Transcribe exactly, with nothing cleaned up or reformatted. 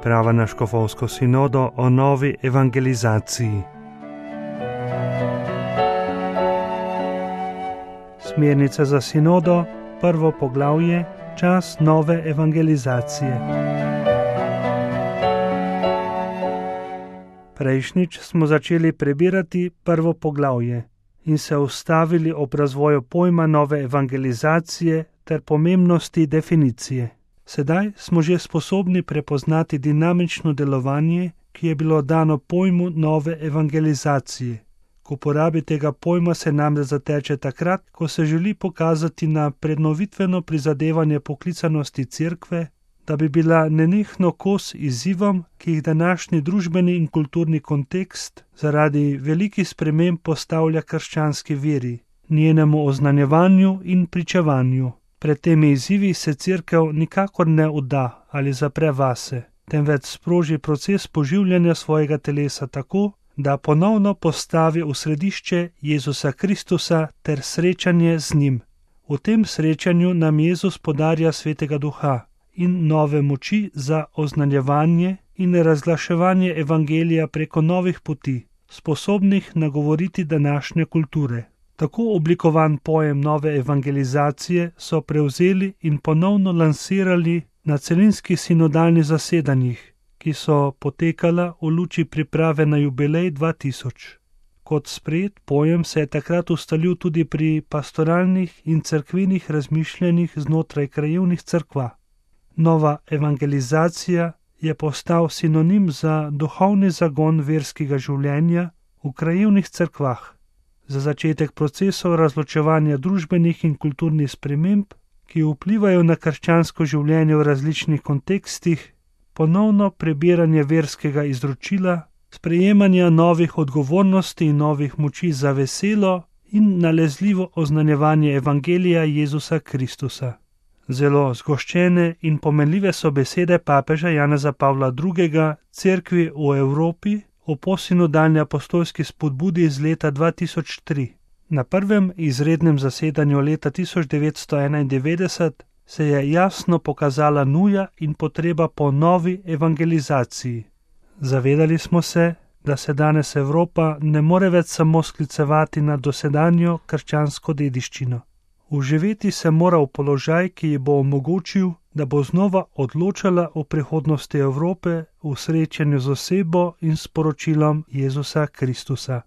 priprava na škofovsko sinodo o novi evangelizaciji. Smernice za sinodo, prvo poglavje, čas nove evangelizacije. Prejšnjič smo začeli prebirati prvo poglavje in se ustavili ob razvoju pojma nove evangelizacije ter pomembnosti definicije. Sedaj smo že sposobni prepoznati dinamično delovanje, ki je bilo dano pojmu nove evangelizacije. K uporabi tega pojma se namreč zateče takrat, ko se želi pokazati na prednovitveno prizadevanje poklicanosti cerkve, da bi bila nenehno kos izzivom, ki jih današnji družbeni in kulturni kontekst zaradi velikih sprememb postavlja krščanski veri, njenemu oznanjevanju in pričevanju. Pred temi izzivi se cerkev nikakor ne udda ali zapre vase, temveč sproži proces poživljanja svojega telesa tako, da ponovno postavi v središče Jezusa Kristusa ter srečanje z njim. V tem srečanju nam Jezus podarja Svetega Duha in nove moči za oznanjevanje in razglaševanje evangelija preko novih poti, sposobnih nagovoriti današnje kulture. Tako oblikovan pojem nove evangelizacije so prevzeli in ponovno lansirali na celinskih sinodalnih zasedanjih, ki so potekala v luči priprave na jubilej dva tisoč. Kot sprejet pojem se je takrat ustalil tudi pri pastoralnih in cerkvenih razmišljanjih znotraj krajevnih cerkva. Nova evangelizacija je postal sinonim za duhovni zagon verskega življenja v krajevnih cerkvah, za začetek procesov razločevanja družbenih in kulturnih sprememb, ki vplivajo na krščansko življenje v različnih kontekstih, ponovno prebiranje verskega izročila, sprejemanja novih odgovornosti in novih moči za veselo in nalezljivo oznanjevanje evangelija Jezusa Kristusa. Zelo zgoščene in pomenljive so besede papeža Janeza Pavla drugega cerkvi v Evropi o posinodalni apostolski spodbudi iz leta dva tisoč tri. Na prvem izrednem zasedanju leta tisoč devetsto enaindevetdeset se je jasno pokazala nuja in potreba po novi evangelizaciji. Zavedali smo se, da se danes Evropa ne more več samo sklicevati na dosedanjo krščansko dediščino. Uživeti se mora v položaj, ki ji bo omogočil, da bo znova odločala o prihodnosti Evrope v srečanju z osebo in sporočilom Jezusa Kristusa.